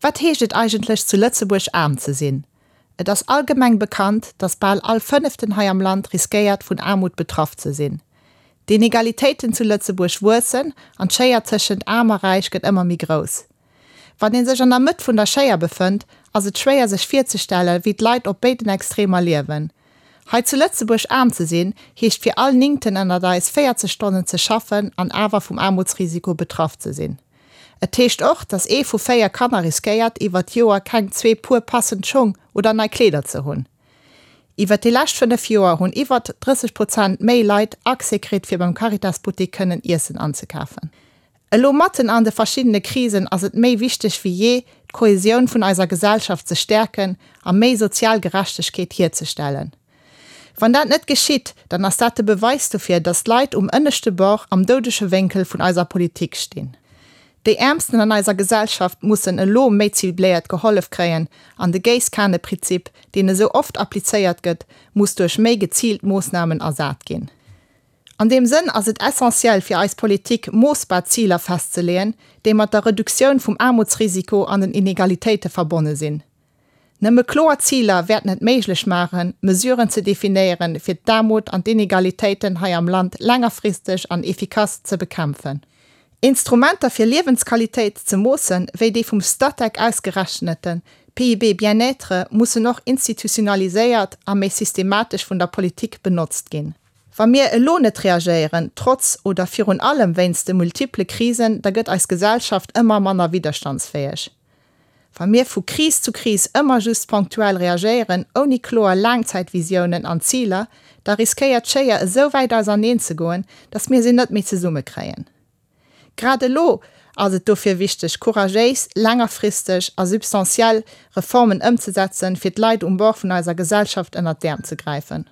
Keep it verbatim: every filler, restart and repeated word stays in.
Wat heescht et eigentlech zu Lëtzebuerg aarm ze sinn? Et ass allgemeng bekannt, datt bal all Fënneften hei am Land riskéiert vun Aarmut betraff ze sinn. D'Inegalitéiten zu Lëtzebuerg wuessen an d'Schéier tëschent Aarm a Räich gëtt ëmmer méi grouss. Wann ee sech an der Mëtt vun der Schéier befënnt, ass et schwéier sech virzestellen, wéi d'Leit op béiden Extremer liewen. Hei zu Lëtzebuerg aarm ze sinn, heescht fir all Néngten ënnert eis véierzeg Stonnen ze schaffen an awer vum Aarmutsrisiko betraff ze sinn. Et heescht och, dass ee vu véier Kanner riskéiert, iwwer d'Joer keng zwee Puer passend Schong oder nei Kleeder ze hunn. Iwwer déi lescht fënnef Joer hunn iwwer drësseg Prozent méi Leit Accès kritt, fir beim Caritas-Buttek kënnen Iessen anzekafen. Elo matten an de verschiddene Krisen ass et méi wichteg wéi jee, d'Kohesioun vun eiser Gesellschaft ze stäerken a méi sozial Gerechtegkeet hierzestellen. Wann dat net geschitt, dann ass dat de Beweis dofir, dass d'Leit um ënneschte Bord am doudege Wénkel vun eiser Politik stinn. Déi Äermsten an eiser Gesellschaft mussen elo méi cibléiert gehollef kréien an de Géisskaneprinzip, deen esou oft applizéiert gëtt, muss duerch méi geziilt Moossnamen ersat ginn. An deem Sënn ass et essentiell fir eis Politik, moossbar Ziler festzeleeën, déi mat der Reduktioun vum Aarmutsrisiko an den Inegalitéite verbonne sinn. Nëmme kloer Ziler wäerten et méiglech maachen, Mesuren ze definéieren, fir d'Aarmut an d'Inegalitéiten hei am Land längerfristeg an efficace ze bekämpfen. Instrumenter fir Liewensqualitéit ze moossen, wéi dee vum Statec ausgerechnete P I B Bien-être, mussen och institutionaliséiert a méi systematesch vun der Politik benotzt ginn. Wa mir elo net reagéieren, trotz oder virun allem wéinst de multiple Krisen, da gëtt eis Gesellschaft ëmmer manner widderstandsfäeg. Wa mir vu Kris zu Kris ëmmer just ponktuell reagéieren, ouni kloer Laangzäitvisiounen an Ziler, da riskéiert d'Schéier esou wäit auserneen ze goen, datt mir se net méi zesummekréien. Grad elo ass et dofir wichteg, couragéis, längerfristeg a substantiell Reformen ëmzesetzen, fir d'Leit um Bord vun eiser Gesellschaft ënnert d'Äerm ze gräifen.